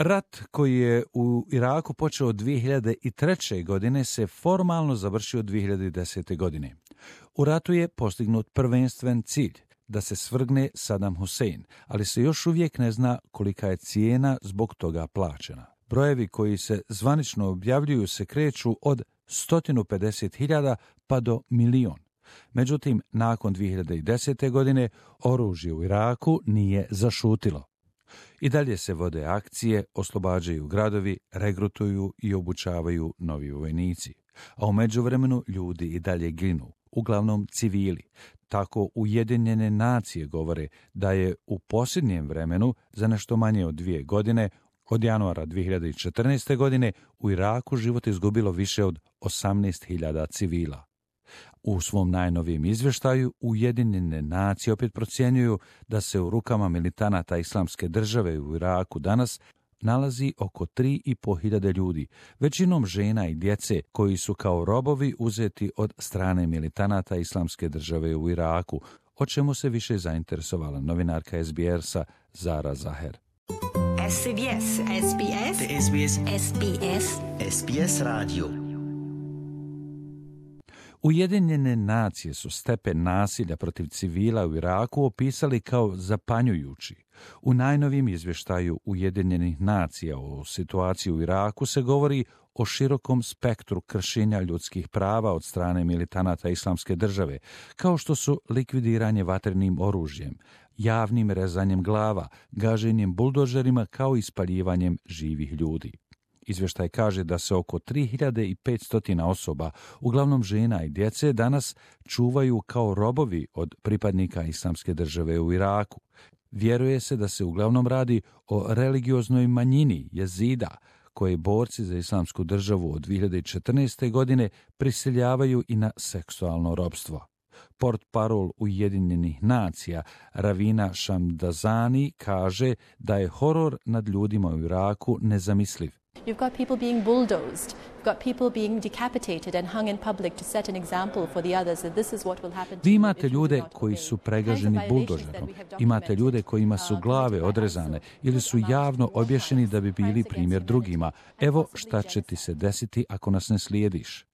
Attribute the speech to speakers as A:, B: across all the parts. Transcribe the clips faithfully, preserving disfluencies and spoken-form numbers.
A: Rat koji je u Iraku počeo dvije hiljade treće. godine se formalno završio dvije hiljade desete. godine. U ratu je postignut prvenstven cilj da se svrgne Saddam Hussein, ali se još uvijek ne zna kolika je cijena zbog toga plaćena. Brojevi koji se zvanično objavljuju se kreću od sto pedeset hiljada pa do milion. Međutim, nakon dvije hiljade desete. godine oružje u Iraku nije zašutilo. I dalje se vode akcije, oslobađaju gradovi, regrutuju i obučavaju novi vojnici. A u međuvremenu ljudi i dalje ginu, uglavnom civili. Tako Ujedinjene nacije govore da je u posljednjem vremenu, za nešto manje od dvije godine, od januara dvije hiljade četrnaeste. godine, u Iraku život izgubilo više od osamnaest hiljada civila. U svom najnovijem izvještaju Ujedinjene nacije opet procjenjuju da se u rukama militanata Islamske države u Iraku danas nalazi oko tri i po hiljade ljudi, većinom žena i djece koji su kao robovi uzeti od strane militanata Islamske države u Iraku, o čemu se više zainteresovala novinarka es be es-a Zara Zaher.
B: es be es, es be es,
C: es be es,
B: es be es,
C: es be es radio.
A: Ujedinjene nacije su stepen nasilja protiv civila u Iraku opisali kao zapanjujući. U najnovijem izvještaju Ujedinjenih nacija o situaciji u Iraku se govori o širokom spektru kršenja ljudskih prava od strane militanata Islamske države, kao što su likvidiranje vatrenim oružjem, javnim rezanjem glava, gaženjem buldožerima kao i spaljivanjem živih ljudi. Izvještaj kaže da se oko tri hiljade petsto osoba, uglavnom žena i djece, danas čuvaju kao robovi od pripadnika Islamske države u Iraku. Vjeruje se da se uglavnom radi o religioznoj manjini jezida, koje borci za Islamsku državu od dvije hiljade četrnaeste. godine prisiljavaju i na seksualno robstvo. Portparol Ujedinjenih nacija Ravina Shamdazani kaže da je horor nad ljudima u Iraku nezamisliv.
D: You've got people being bulldozed. You've got people being decapitated and hung in public to set an example for the others that this is what will happen to
A: Vi
D: you
A: imate
D: if you
A: ljude
D: do not
A: koji
D: obey.
A: su pregaženi
D: Kinds of violations
A: buldožerom.
D: that we have
A: Imate
D: documented,
A: ljude kojima su
D: uh,
A: glave
D: committed by
A: odrezane
D: ISIL
A: ili su
D: amount
A: javno
D: to war
A: obješeni da bi
D: crimes
A: bili
D: against
A: primjer
D: humanity
A: drugima.
D: and
A: Evo
D: possibly
A: šta će ti
D: genocide.
A: se desiti ako nas ne slijediš.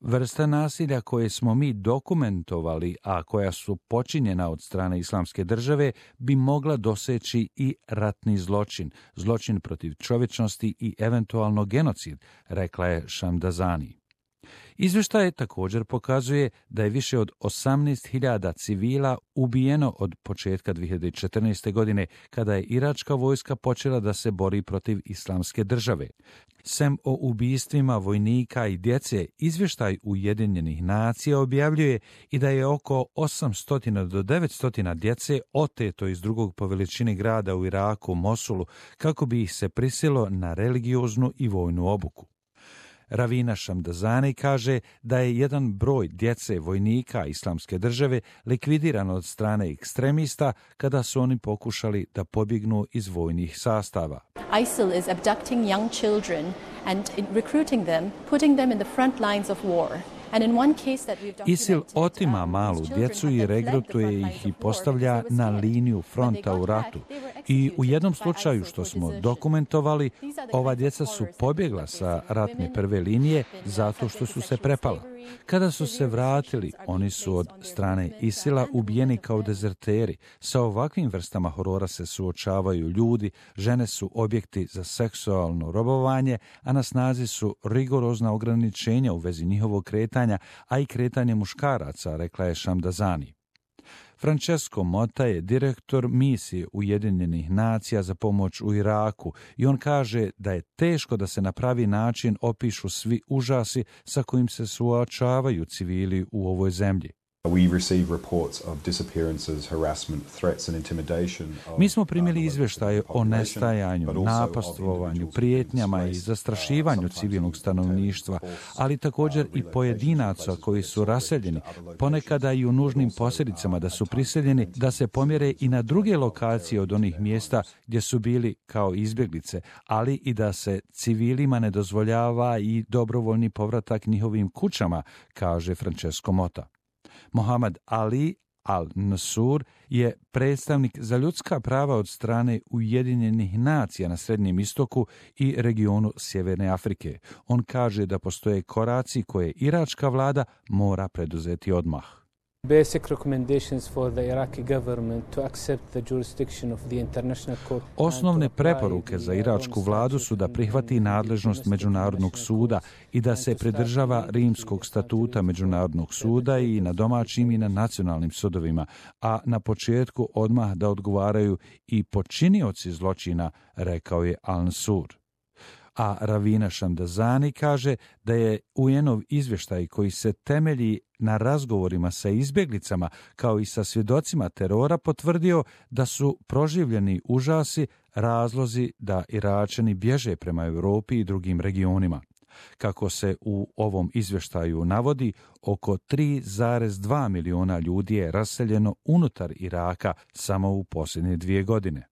A: Vrsta nasilja koje smo mi dokumentovali, a koja su počinjena od strane Islamske države, bi mogla doseći i ratni zločin, zločin protiv čovječnosti i eventualno genocid, rekla je Shamdazani. Izvještaj također pokazuje da je više od osamnaest hiljada civila ubijeno od početka dvije hiljade četrnaeste. godine, kada je iračka vojska počela da se bori protiv Islamske države. Sem o ubijstvima vojnika i djece, izvještaj Ujedinjenih nacija objavljuje i da je oko osamsto do devetsto djece oteto iz drugog po veličini grada u Iraku, Mosulu, kako bi ih se prisilo na religioznu i vojnu obuku. Ravina Shamdazani kaže da je jedan broj djece vojnika Islamske države likvidiran od strane ekstremista kada su oni pokušali da pobjegnu iz vojnih sastava.
D: ISIL is abducting young children and in- recruiting them, putting them in the front lines of war. And in one case that we've
A: ISIL
D: documented,
A: otima
D: um,
A: malu
D: these children
A: djecu
D: have
A: i
D: then fled the
A: regrutuje
D: front
A: ih
D: lines
A: i
D: of war
A: postavlja
D: because they were
A: na
D: scared.
A: liniju
D: When they
A: fronta
D: got
A: u
D: back,
A: ratu.
D: they were
A: I u
D: executed
A: jednom
D: by
A: slučaju
D: ISIL
A: što
D: for
A: smo
D: desertion.
A: dokumentovali,
D: These are the
A: ova
D: kinds of
A: djeca su
D: horrors that
A: pobjegla
D: we're
A: sa
D: facing.
A: ratne
D: Women
A: prve linije
D: have been
A: zato
D: subject
A: što
D: to
A: su se
D: sexual
A: prepala.
D: slavery.
A: Kada su se
D: Severe
A: vratili,
D: restrictions are
A: oni
D: being
A: su od
D: placed on their
A: strane
D: movement,
A: ISIL-a
D: and the
A: ubijeni
D: movement of
A: kao
D: men.
A: dezerteri. Sa ovakvim vrstama horora se suočavaju ljudi, žene su objekti za seksualno robovanje, a na snazi su rigorozna ograničenja u vezi njihovog kretanja, a i kretanje muškaraca, rekla je Shamdazani. Francesco Motta je direktor misije Ujedinjenih nacija za pomoć u Iraku i on kaže da je teško da se na pravi način opišu svi užasi sa kojim se suočavaju civili u ovoj zemlji.
E: We receive reports of disappearances, harassment, threats and intimidation. of,
A: Mi smo
E: uh,
A: primili
E: the
A: izvještaje o
E: population,
A: nestajanju,
E: but also of
A: napastovanju,
E: individuals
A: prijetnjama
E: being
A: i
E: displaced,
A: zastrašivanju
E: uh,
A: civilnog
E: sometimes
A: stanovništva,
E: in force,
A: ali također
E: uh,
A: i pojedinaca
E: relocations
A: koji
E: to
A: su
E: places
A: raseljeni,
E: to other locations,
A: ponekada i u nužnim
E: but also,
A: posljedicama da
E: uh,
A: su
E: at times
A: prisiljeni da se pomjere i na druge
E: of
A: lokacije od onih
E: their
A: mjesta
E: homes.
A: gdje su bili kao izbjeglice, ali i da se civilima ne dozvoljava i dobrovoljni povratak njihovim kućama, kaže Francesco Motta. Mohamed Ali Al-Nsur je predstavnik za ljudska prava od strane Ujedinjenih nacija na Srednjem istoku i regionu Sjeverne Afrike. On kaže da postoje koraci koje iračka vlada mora preduzeti odmah.
C: Basic recommendations for the Iraqi government to accept the jurisdiction of the International Court.
A: Osnovne preporuke za iračku vladu su da prihvati nadležnost Međunarodnog suda i da se pridržava Rimskog statuta Međunarodnog suda i na domaćim i na nacionalnim sudovima, a na početku odmah da odgovaraju i počinioci zločina, rekao je Al-Nsur. A Ravina Šandazani kaže da je U N-ov izvještaj koji se temelji na razgovorima sa izbjeglicama kao i sa svjedocima terora potvrdio da su proživljeni užasi razlozi da Iračani bježe prema Europi i drugim regionima. Kako se u ovom izvještaju navodi, oko tri zarez dva miliona ljudi je raseljeno unutar Iraka samo u posljednje dvije godine.